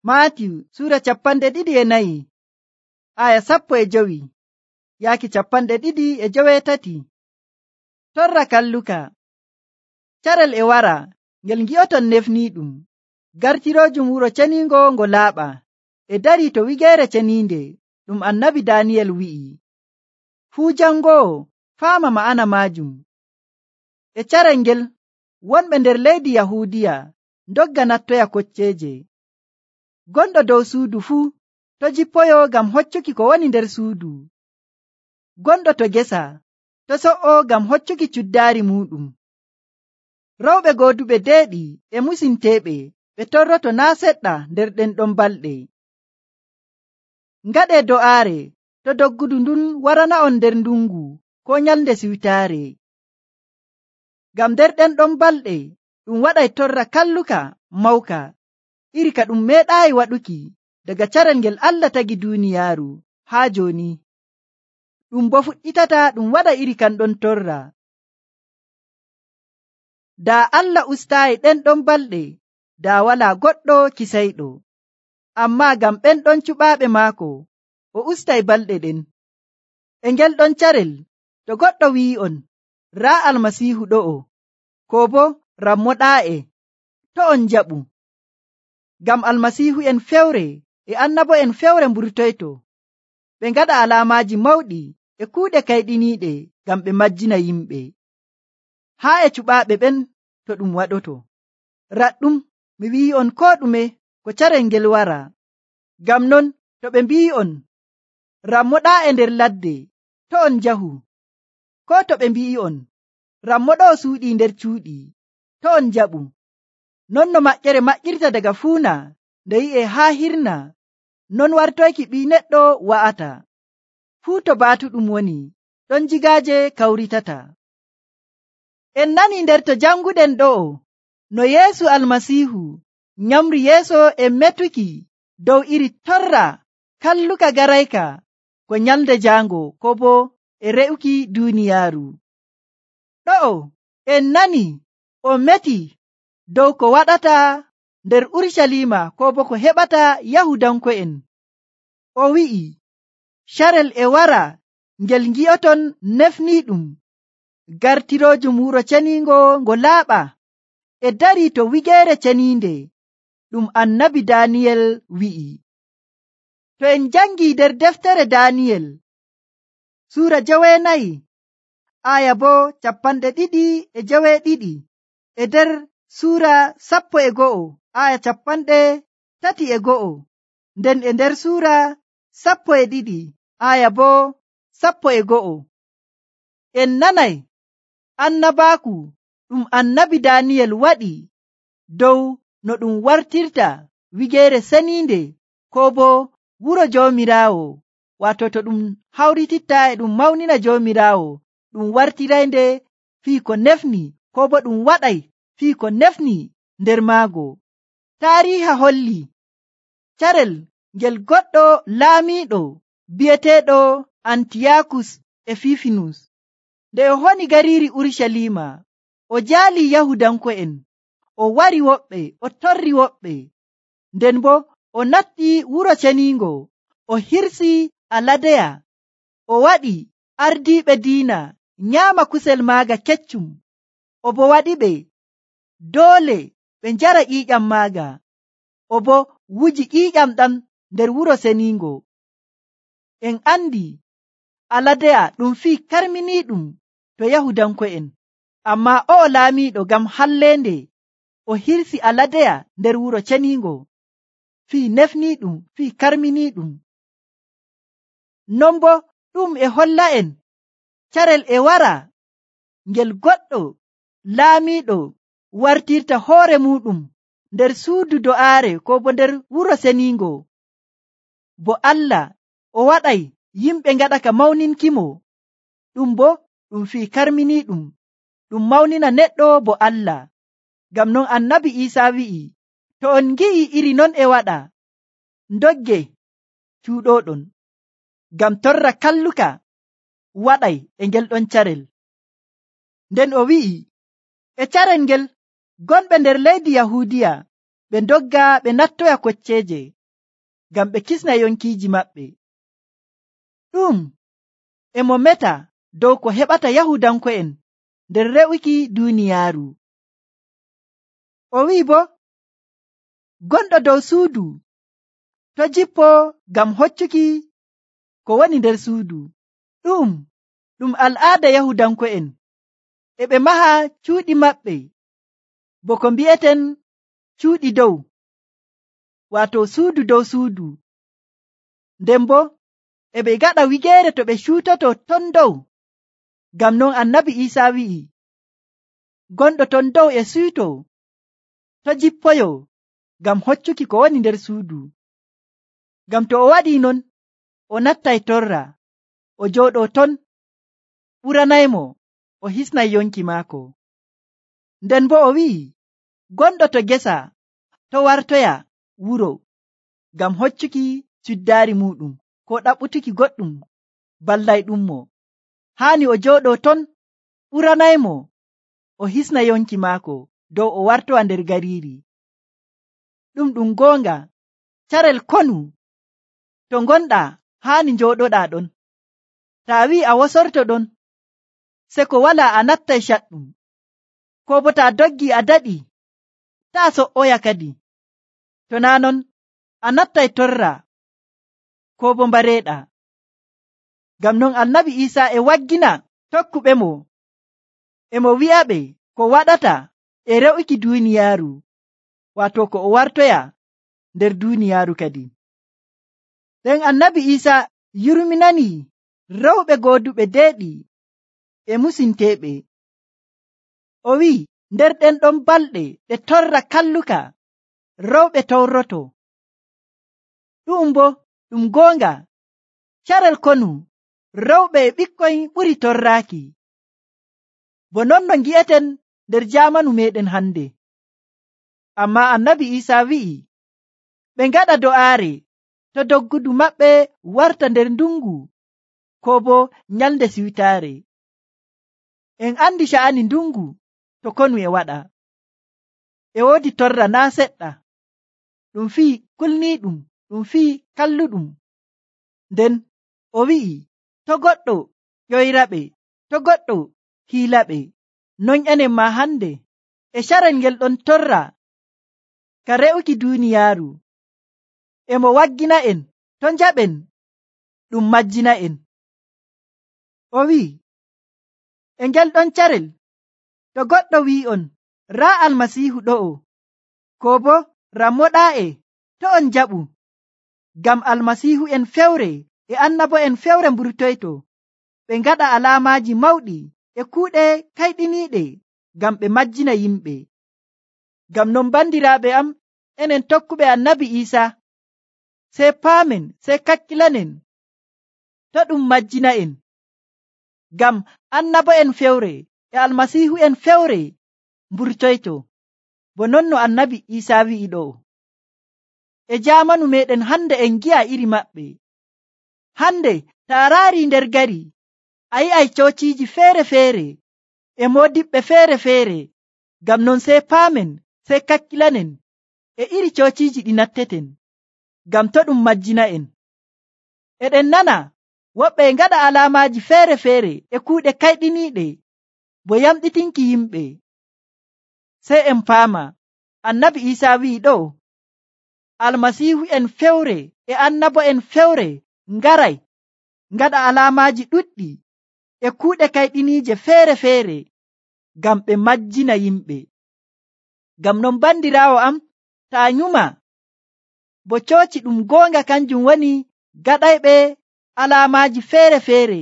Maatiyu Sura 24 aya 15 yaaki 25. Torra kalluka. Carel e wara ngel ngi'oton nefniiɗum. Gartiroojum wuro ceniingo ngo laaɓa e darii to wigeere ceniinde ɗum annabi Daniyel wi'i. Fuu jangoowo faama ma'ana maajum. E carel ngel wonɓe nder leydi Yahuudiya ndogga nattoya kocceeje. Gonɗo dow suudu fuu to jippoyo ngam hoccuki ko woni nder suudu. Gonɗo to gesa to so'o ngam hoccuki cuddaari muɗum. Rewɓe gooduɓe deeɗi e musinteeɓe ɓe torroto naa seɗɗa nder ɗen ɗon balɗe. Ngaɗee do'aare to doggudu ndun warana'on nder ndungu ko nyalnde siwtaare. Ngam nder ɗen ɗon balɗe ɗum waɗay torra kalluka mawka iri ka ɗum meeɗaayi waɗuki daga carel ngel Allah tagi duuniyaaru haa jooni. Ɗum bo fuɗɗitata ɗum waɗa iri kan ɗon torra. Daa Allah ustaayi ɗen ɗon balɗe daa walaa goɗɗo kisayɗo. Ammaa ngam ɓen ɗon cuɓaaɓe maako o ustay balɗe ɗen. E ngel ɗon carel to goɗɗo wi'i'on raa Almasiihu ɗo'o koo bo rammoɗaa'e to on njaɓu. Ngam almasiihu'en fewre e annabo'en fewre mburtoyto ɓe ngaɗa alaamaaji mawɗi e kuuɗe kayɗiniiɗe ngam ɓe majjina yimɓe. Haa e cuɓaaɓe ɓen to ɗum waɗoto. Raɗɗum mi wi'i'on koo ɗume ko carel ngel wara. Ngam non to ɓe mbi'i'on rammoɗaa'e nder ladde to on njahu. Koo to ɓe mbi'i'on rammoɗo'o suuɗii nder cuuɗi to on njaɓu. Non no maƴƴere maƴƴirta daga fuuna nde yi'e haa hirna, non wartoyki ɓii neɗɗo wa'ata. Fuu to baatu ɗum woni, ɗon jigaaje kawritata. En nani nder to janguɗen ɗo'o, no Yeesu Almasiihu nyamri yeeso e metuki dow iri torra kalluka garayka ko nyalde jaango ko bo e re'uki duuniyaaru. Ɗo'o en nani o meti dow ko waɗata nder Urshalima ko bo ko heɓata Yahudanko'en. O wi'i, carel e wara ngel ngi'oton nefniiɗum. Gartiroojum wuro ceniingo ngo laaɓa e darii to wigeere ceniinde ɗum annabi Daniyel wi'i. To en jangii nder deftere Daniyel Suura 9 aya bo 22 e nder Suura 11 aya 31 nden e nder Suura 12 aya bo 11 en nanay annabaaku ɗum annabi Daniyel waɗi dow no ɗum wartirta wigeere seniinde ko bo wuro Joomiraawo, waato to ɗum hawrititta e ɗum mawnina Joomiraawo ɗum wartiraynde fii ko nefni ko bo ɗum waɗay fii ko nefni nder maago. Taariiha holli carel ngel goɗɗo laamiiɗo bi'eteeɗo Antiyakus Efifinus nde o honi gariiri Urshalima o jaalii Yahudanko'en, o wari woɓɓe, o torri woɓɓe. Nden bo o natti wuro ceniingo, o hirsi aladeya, o waɗi ardiiɓe diina nyaama kusel maaga keccum, o bo waɗiɓe doole ɓe njara ƴiiƴam maaga, o bo wuji ƴiiƴam ɗam nder wuro ceniingo. En andi aladeya ɗum fii karminiiɗum to Yahudanko'en, ammaa o'o laamiiɗo ngam halleende o hirsi aladeya nder wuro ceniingo fii nefniiɗum fii karminiiɗum. Non bo ɗum e holla'en carel e wara ngel goɗɗo laamiiɗo wartirta hoore muɗum nder suudu do'aare ko bo nder wuro ceniingo, bo Allah o waɗay yimɓe ngaɗa ka mawninkimo. Ɗum bo ɗum fii karminiiɗum, ɗum mawnina neɗɗo bo Allah. Ngam non annabi Iisaa wi'i, to on ngi'i iri non e waɗa, ndogge cuuɗoɗon. Ngam torra kalluka waɗay e ngel ɗon carel. Nden o wi'i, e carel ngel gonɓe nder leydi Yahuudiya ɓe ndogga ɓe nattoya kocceeje ngam ɓe kisna yonkiiji maɓɓe. Ɗum e mo meta dow ko heɓata Yahuudanko'en nder re'uki duuniyaaru. O wi'i bo, gonɗo dow suudu to jippo ngam hoccuki ko woni nder suudu. Ɗum al'aada Yahuudanko'en. E ɓe maha cuuɗi maɓɓe bo ko mbi'eten cuuɗi dow, waato suudu dow suudu. Nden bo e ɓe gaɗa wigeere to ɓe cuutoto ton dow. Ngam non Annabi Iisaa wi'i, gonɗo ton dow e suuto to jippoyo ngam hoccuki ko woni nder suudu. Ngam to o waɗii non, o nattay torra, o jooɗoo ton, ɓuranaymo o hisnay yonki maako. Nden bo o wi'i, gonɗo to gesa to wartoya wuro ngam hoccuki cuddaari muuɗum ko ɗaɓɓutuki goɗɗum ballayɗummo. Haani o jooɗoo ton, ɓuranaymo o hisna yonki maako dow o wartowa nder gariiri. Ɗum goonga, carel konu to ngonɗaa haani njooɗoɗaa ɗon. Taa wi'i a wosorto ɗon, se ko walaa a nattay caɗɗum, ko bo taa doggi a daɗi, taa so''oya kadi. To naa non a nattay torra ko bo mbareeɗaa. Ngam non Annabi Iisaa e waggina tokkuɓemo, e mo wi'aɓe ko waɗata e re'uki duuniyaaru, waato ko o wartoya nder duuniyaaru kadi. Nden Annabi Iisaa yurminanii rewɓe gooduɓe deeɗi e musinteeɓe. O wi'i, nder ɗen ɗon balɗe ɗe torra kalluka rewɓe towroto. Ɗum goonga, carel konu rewɓe e ɓikkoy ɓuri torraaki. Bo non no ngi'eten nder jaamanu meeɗen hande. Ammaa Annabi Iisaa wi'i, ɓe ngaɗa do'aare to doggudu maɓɓe warta nder ndungu ko bo nyalnde siwtaare. En andi sha'ani ndungu to konu e waɗa. E woodi torra naa seɗɗa, ɗum fii kulniiɗum, ɗum fii kalluɗum. Nden o wi'i, to goɗɗo ƴoyraɓe, to goɗɗo hiilaɓe. Non enen maa hande e carel ngel ɗon torra ka re'uki duuniyaaru. E mo waggina en to njaɓen ɗum majjina en. O wi'i, e ngel ɗon carel to goɗɗo wi'on raa Almasiihu ɗo'o, ko bo rammoɗaa'e to on njaɓu. Ngam Almasiihu en fewre e annabo'en fewre mburtoyto, ɓe ngaɗa alaamaaji mawɗi e kuuɗe kayɗiniiɗe ngam ɓe majjina yimɓe. Ngam non bandiraaɓe am, enen tokkuɓe Annabi Iisaa, sey paamen, sey kakkilanen to ɗum majjina en. Ngam annabo'en fewre e Almasiihu en fewre mburtoyto, bo non no Annabi Iisaa wi'i ɗo. E jaamanu meeɗen hande en gi'a iri maɓɓe. Hande taa raari nder gari, a yi'ay coociiji feere-feere e moodiɓɓe feere-feere. Ngam non sey paamen, sey kakkilanen e iri coociiji ɗi natteten, ngam to ɗum majjina en. Eɗen nana woɓɓe ngaɗa alaamaaji feere-feere e kuuɗe kayɗiniiɗe bo yamɗitinki yimɓe. Sey en paama Annabi Iisaa wi'i ɗo, Almasiihu en fewre e annabo'en fewre ngaray ngaɗa alaamaaji ɗuɗɗi e kuuɗe kayɗiniije feere-feere ngam ɓe majjina yimɓe. Ngam non bandiraawo am, taa nyuma bo cooci ɗum goonga kanjum woni gaɗayɓe alaamaaji feere-feere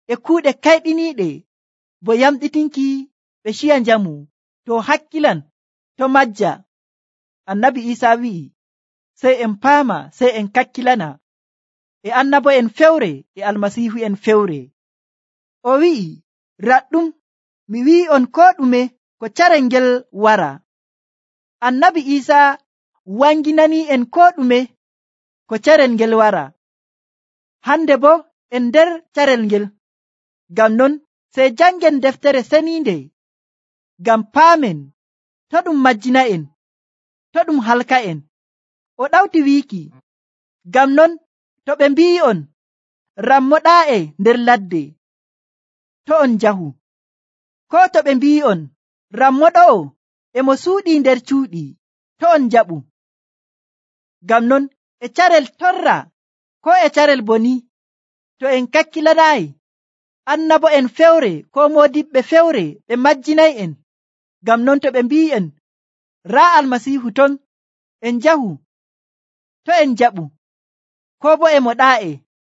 e kuuɗe kayɗiniiɗe bo yamɗitinki ɓe ciya njamu, to hakkilan, to majja. Annabi Iisaa wi'i, sey en paama, sey en kakkilana e annabo'en fewre e Almasiihu en fewre. O wi'i, raɗɗum mi wi'i'on koo ɗume ko carel ngel wara. Annabi Iisaa wanginanii en koo ɗume ko carel ngel wara. Hande bo en nder carel ngel. Ngam non sey jangen deftere seniinde ngam paamen to ɗum majjina en, to ɗum halka'en. O ɗawti wiiki, ngam non to ɓe mbi'i'on rammoɗaa'e nder ladde, to on njahu. Koo to ɓe mbi'i'on rammoɗo'o e mo suuɗii nder cuuɗi, to on njaɓu. Ngam non e carel torra koo e carel boni, to en kakkilanaayi annabo'en fewre koo moodiɓɓe fewre ɓe majjinay'en. Ngam non to ɓe mbi'en raa Almasiihu ton, en njahu, to en njaɓu. Koo boo e mo ɗaa'e,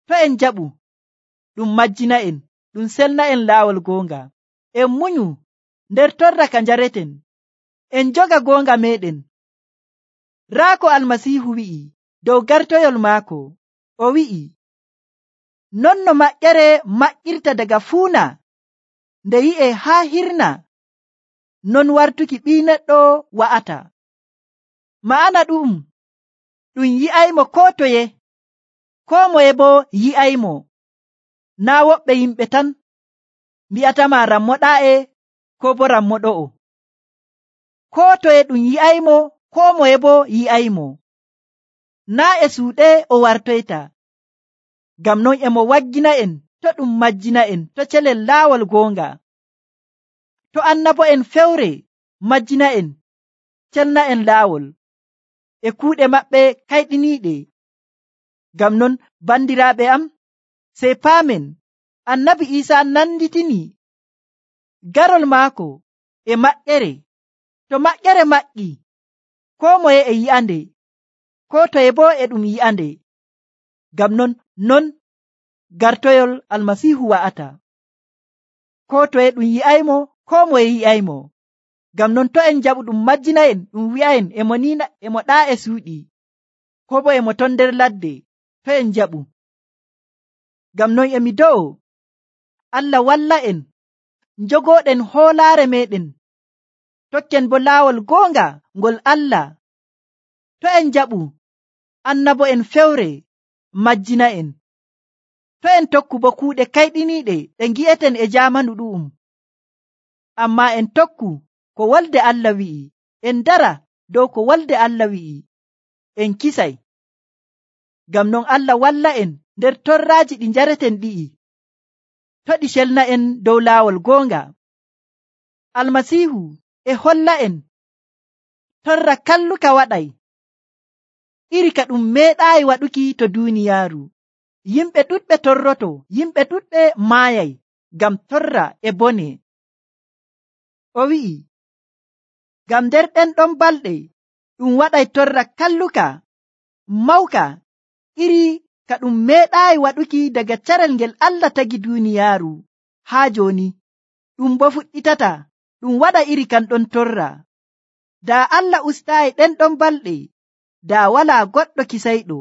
to en njaɓu. Ɗum majjina'en, ɗum selna'en laawol goonga. En munyu nder torra ka njareten, en joga goonga meeɗen. Raa ko Almasiihu wi'i dow gartoyol maako, o wi'i, non no maƴƴere maƴƴirta daga fuuna nde yi'e haa hirna, non wartuki Ɓii Neɗɗo wa'ata. Ma'ana ɗum yi'aymo koo toye, koo moye boo yi'aymo. Naa woɓɓe yimɓe tan mbi'atama rammoɗaa'e koo boo rammoɗo'o. Koo toye ɗum yi'aymo, koo moye boo yi'aymo. Naa e suuɗe o wartoyta. Ngam non e mo waggina'en to ɗum majjina'en to celel laawol goonga. To annabo'en fewre majjina'en, celna'en laawol e kuuɗe maɓɓe kayɗiniiɗe. Ngam non bandiraaɓe am, sey paamen Annabi Iisaa nanditini garol maako e maƴƴere. To maƴƴere maƴƴi, koo moye e yi'ande, koo toye boo e ɗum yi'ande. Ngam non gartoyol Almasiihu wa'ata. Koo toye ɗum yi'aymo, koo moye yi'aymo. Ngam non to en njaɓu ɗum majjina'en, ɗum wi'a'en e mo ɗaa e suuɗi, koo boo e mo ton nder ladde, to en njaɓu. Ngam non e mi do'o Allah walla'en njogooɗen hoolaare meeɗen, tokken bo laawol goonga ngol Allah. To en njaɓu annabo'en fewre majjina'en. To en tokku bo kuuɗe kayɗiniiɗe ɗe ngi'eten e jaamanu ɗu'um. Ammaa en tokku ko wolde Allah wi'i, en dara dow ko wolde Allah wi'i, en kisay. Ngam non Allah walla'en nder torraaji ɗi njareten ɗi'i, to ɗi celna'en dow laawol goonga. Almasiihu e holla'en torra kalluka waɗay, iri ka ɗum meeɗaayi waɗuki to duuniyaaru. Yimɓe ɗuɗɓe torroto, yimɓe ɗuɗɓe maayay ngam torra e bone. O wi'i, ngam nder ɗen ɗon balɗe ɗum waɗay torra kalluka mawka, iri ka ɗum meeɗaayi waɗuki daga carel ngel Allah tagi duuniyaaru haa jooni. Ɗum bo fuɗɗitata ɗum waɗa iri kan ɗon torra. Daa Allah ustaayi ɗen ɗon balɗe, daa walaa goɗɗo kisayɗo.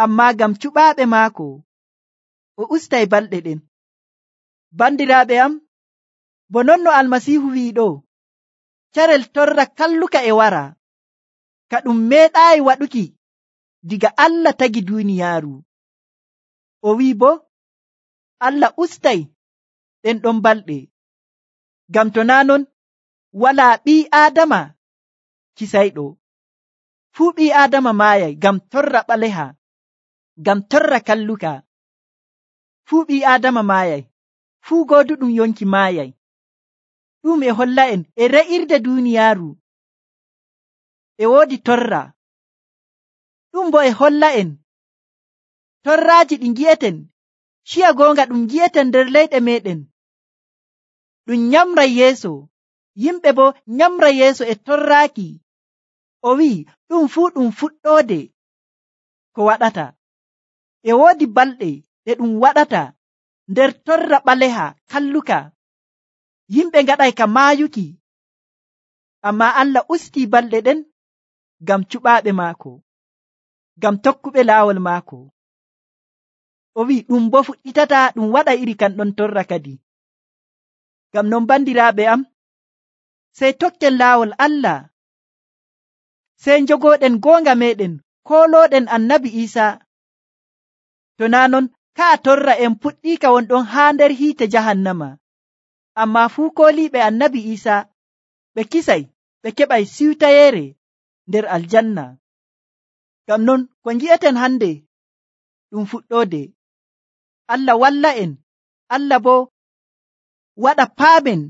Ammaa ngam cuɓaaɓe maako, o ustay balɗe ɗen. Bandiraaɓe am, bo non no Almasiihu wi'i ɗo, carel torra kalluka e wara, ka ɗum meeɗaayi waɗuki diga Allah tagi duuniyaaru. O wi'i bo, Allah ustay ɗen ɗon balɗe. Ngam to naa non, walaa ɓii Aadama kisayɗo. Fuu ɓii Aadama maayay ngam torra ɓaleha, ngam torra kalluka. Fuu ɓii Aadama maayay, fuu gooduɗum yonki maayay. Ɗum e holla'en e re'irde duuniyaaru e woodi torra. Ɗum bo e holla'en torraaji ɗi ngi'eten, ciya goonga ɗum ngi'eten nder leyɗe meeɗen. Ɗum nyamray yeeso, yimɓe bo nyamray yeeso e torraaki. O wi'i ɗum fuu ɗum fuɗɗoode ko waɗata. E woodi balɗe ɗe ɗum waɗata nder torra ɓaleha kalluka. Yimɓe ngaɗay ka maayuki. Ammaa Allah ustii balɗe ɗen ngam cuɓaaɓe maako, ngam tokkuɓe laawol maako. O wi'i ɗum bo fuɗɗitata ɗum waɗa iri kan ɗon torra kadi. Ngam non bandiraaɓe am, sey tokken laawol Allah, sey njogooɗen goonga meeɗen, koolooɗen Annabi Iisaa. To naa non, ka'a torra en puɗɗiika wonɗon haa nder hiite jahannama. Ammaa fuu kooliiɓe Annabi Iisaa ɓe kisay, ɓe keɓay siwtayeere. nder aljanna. Ngam non ko ngi'eten hande ɗum fuɗɗoode. Allah walla en, Allah bo waɗa paamen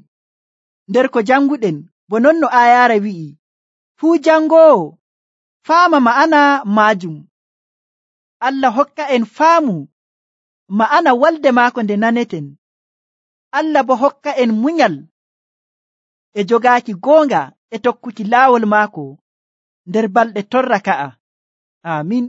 nder ko janguɗen, bo non no aayaare wi'i, fuu jangoowo faama ma'ana maajum. Allah hokka en faamu ma'ana walde maako nde naneten. Allah bo hokka en munyal e jogaaki goonga e tokkuki laawol maako nder balɗe torra ka'a. Aamin.